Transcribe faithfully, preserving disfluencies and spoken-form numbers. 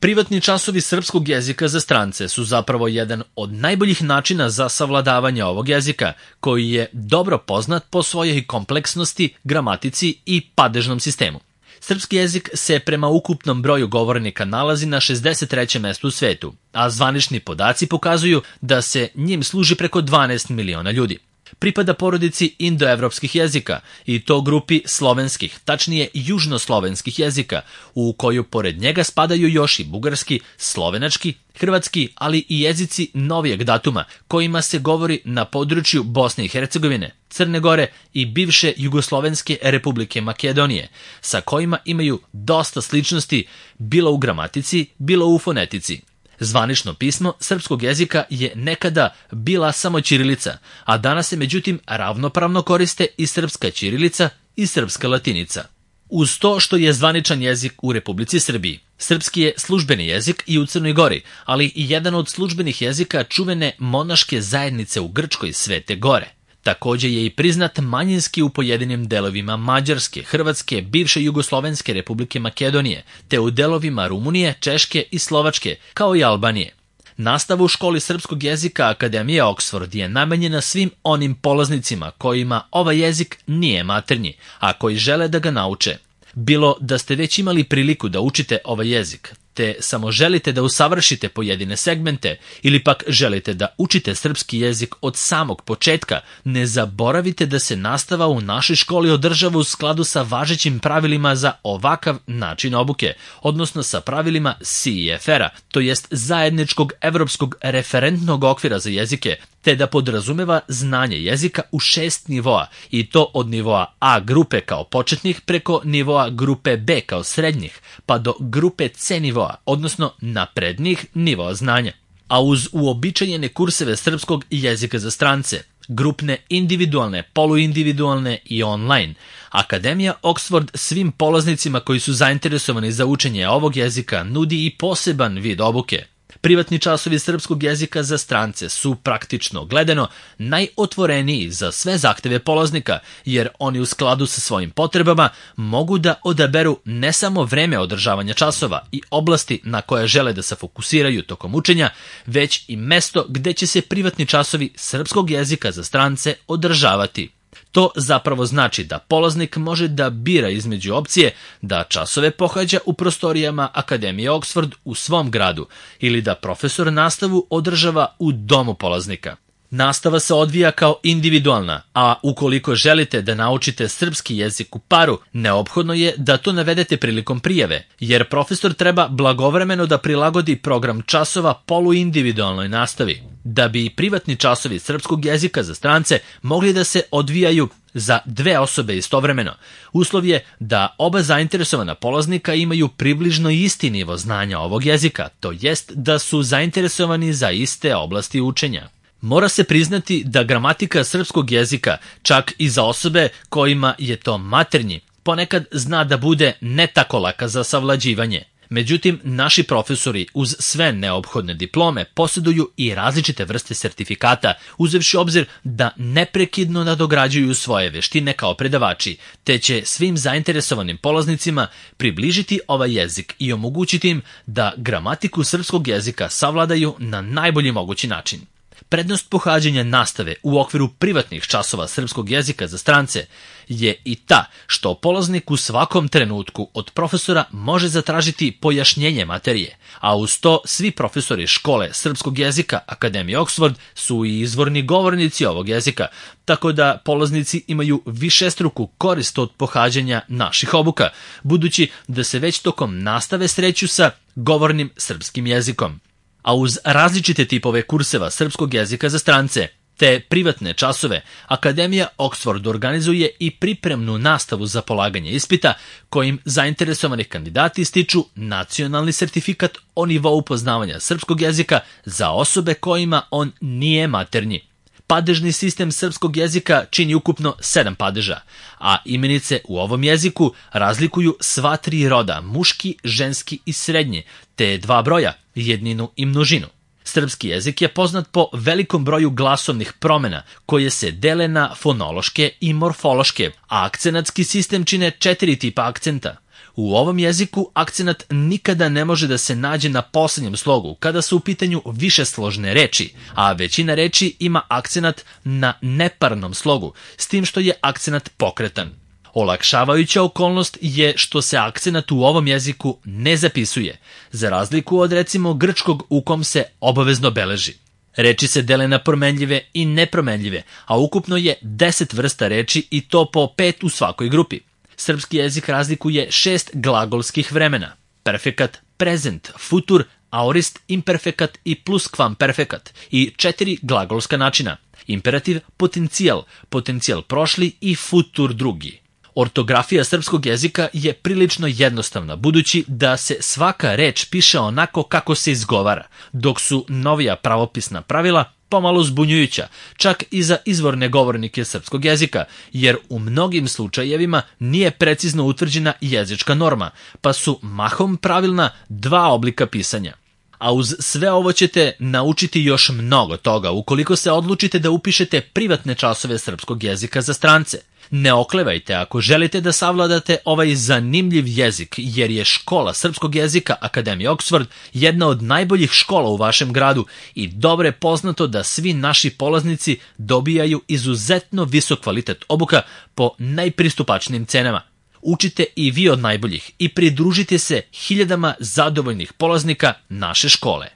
Privatni časovi srpskog jezika za strance su zapravo jedan od najboljih načina za savladavanje ovog jezika, koji je dobro poznat po svojoj kompleksnosti, gramatici i padežnom sistemu. Srpski jezik se prema ukupnom broju govornika nalazi na šezdeset trećem mestu u svetu, a zvanični podaci pokazuju da se njim služi preko dvanaest miliona ljudi. Pripada porodici indoevropskih jezika i to grupi slovenskih, tačnije južnoslovenskih jezika, u koju pored njega spadaju još i bugarski, slovenački, hrvatski, ali i jezici novijeg datuma, kojima se govori na području Bosne i Hercegovine, Crne Gore i bivše Jugoslovenske republike Makedonije, sa kojima imaju dosta sličnosti bilo u gramatici, bilo u fonetici. Zvanično pismo srpskog jezika je nekada bila samo ćirilica, a danas se međutim ravnopravno koriste i srpska ćirilica i srpska latinica. Uz to što je zvaničan jezik u Republici Srbiji, srpski je službeni jezik i u Crnoj Gori, ali i jedan od službenih jezika čuvene monaške zajednice u Grčkoj Svete Gore. Također je i priznat manjinski u pojedinim delovima Mađarske, Hrvatske, bivše Jugoslovenske republike Makedonije, te u delovima Rumunije, Češke i Slovačke, kao i Albanije. Nastava u školi srpskog jezika Akademije Oxford je namenjena svim onim polaznicima kojima ovaj jezik nije maternji, a koji žele da ga nauče. Bilo da ste već imali priliku da učite ovaj jezik, te samo želite da usavršite pojedine segmente ili pak želite da učite srpski jezik od samog početka, ne zaboravite da se nastava u našoj školi održava u skladu sa važećim pravilima za ovakav način obuke, odnosno sa pravilima C E F R-a, to jest zajedničkog evropskog referentnog okvira za jezike, te da podrazumeva znanje jezika u šest nivoa, i to od nivoa A grupe kao početnih preko nivoa grupe B kao srednjih, pa do grupe C nivoa, odnosno naprednih nivoa znanja. A uz uobičajene kurseve srpskog jezika za strance, grupne, individualne, poluindividualne i online, Akademija Oxford svim polaznicima koji su zainteresovani za učenje ovog jezika nudi i poseban vid obuke. Privatni časovi srpskog jezika za strance su praktično gledano najotvoreniji za sve zahteve polaznika, jer oni u skladu sa svojim potrebama mogu da odaberu ne samo vreme održavanja časova i oblasti na koje žele da se fokusiraju tokom učenja, već i mesto gde će se privatni časovi srpskog jezika za strance održavati. To zapravo znači da polaznik može da bira između opcije da časove pohađa u prostorijama Akademije Oxford u svom gradu ili da profesor nastavu održava u domu polaznika. Nastava se odvija kao individualna, a ukoliko želite da naučite srpski jezik u paru, neophodno je da to navedete prilikom prijave, jer profesor treba blagovremeno da prilagodi program časova poluindividualnoj nastavi. Da bi privatni časovi srpskog jezika za strance mogli da se odvijaju za dve osobe istovremeno, uslov je da oba zainteresovana polaznika imaju približno isti nivo znanja ovog jezika, to jest da su zainteresovani za iste oblasti učenja. Mora se priznati da gramatika srpskog jezika, čak i za osobe kojima je to maternji, ponekad zna da bude ne tako laka za savlađivanje. Međutim, naši profesori uz sve neophodne diplome posjeduju i različite vrste sertifikata, uzevši obzir da neprekidno nadograđuju svoje veštine kao predavači, te će svim zainteresovanim polaznicima približiti ovaj jezik i omogućiti im da gramatiku srpskog jezika savladaju na najbolji mogući način. Prednost pohađanja nastave u okviru privatnih časova srpskog jezika za strance je i ta što polaznik u svakom trenutku od profesora može zatražiti pojašnjenje materije, a uz to svi profesori škole srpskog jezika Akademije Oxford su i izvorni govornici ovog jezika, tako da polaznici imaju višestruku korist od pohađanja naših obuka, budući da se već tokom nastave sreću sa govornim srpskim jezikom. A uz različite tipove kurseva srpskog jezika za strance, te privatne časove, Akademija Oxford organizuje i pripremnu nastavu za polaganje ispita, kojim zainteresovani kandidati stiču nacionalni sertifikat o nivou poznavanja srpskog jezika za osobe kojima on nije maternji. Padežni sistem srpskog jezika čini ukupno sedam padeža, a imenice u ovom jeziku razlikuju sva tri roda, muški, ženski i srednji, te dva broja, jedninu i množinu. Srpski jezik je poznat po velikom broju glasovnih promjena koje se dele na fonološke i morfološke, a akcenatski sistem čine četiri tipa akcenta. U ovom jeziku akcenat nikada ne može da se nađe na poslednjem slogu kada su u pitanju višesložne reči, a većina reči ima akcenat na neparnom slogu, s tim što je akcenat pokretan. Olakšavajuća okolnost je što se akcenat u ovom jeziku ne zapisuje, za razliku od recimo grčkog u kom se obavezno beleži. Reči se dele na promenljive i nepromenljive, a ukupno je deset vrsta reči i to po pet u svakoj grupi. Srpski jezik razlikuje šest glagolskih vremena: perfekat, prezent, futur, aorist, imperfekat i pluskvamperfekat, i četiri glagolska načina: imperativ, potencijal, potencijal prošli i futur drugi. Ortografija srpskog jezika je prilično jednostavna, budući da se svaka reč piše onako kako se izgovara, dok su novija pravopisna pravila pomalo zbunjujuća, čak i za izvorne govornike srpskog jezika, jer u mnogim slučajevima nije precizno utvrđena jezička norma, pa su mahom pravilna dva oblika pisanja. A uz sve ovo ćete naučiti još mnogo toga ukoliko se odlučite da upišete privatne časove srpskog jezika za strance. Ne oklevajte ako želite da savladate ovaj zanimljiv jezik, jer je škola srpskog jezika Akademije Oxford jedna od najboljih škola u vašem gradu i dobro je poznato da svi naši polaznici dobijaju izuzetno visok kvalitet obuka po najpristupačnijim cenama. Učite i vi od najboljih i pridružite se hiljadama zadovoljnih polaznika naše škole.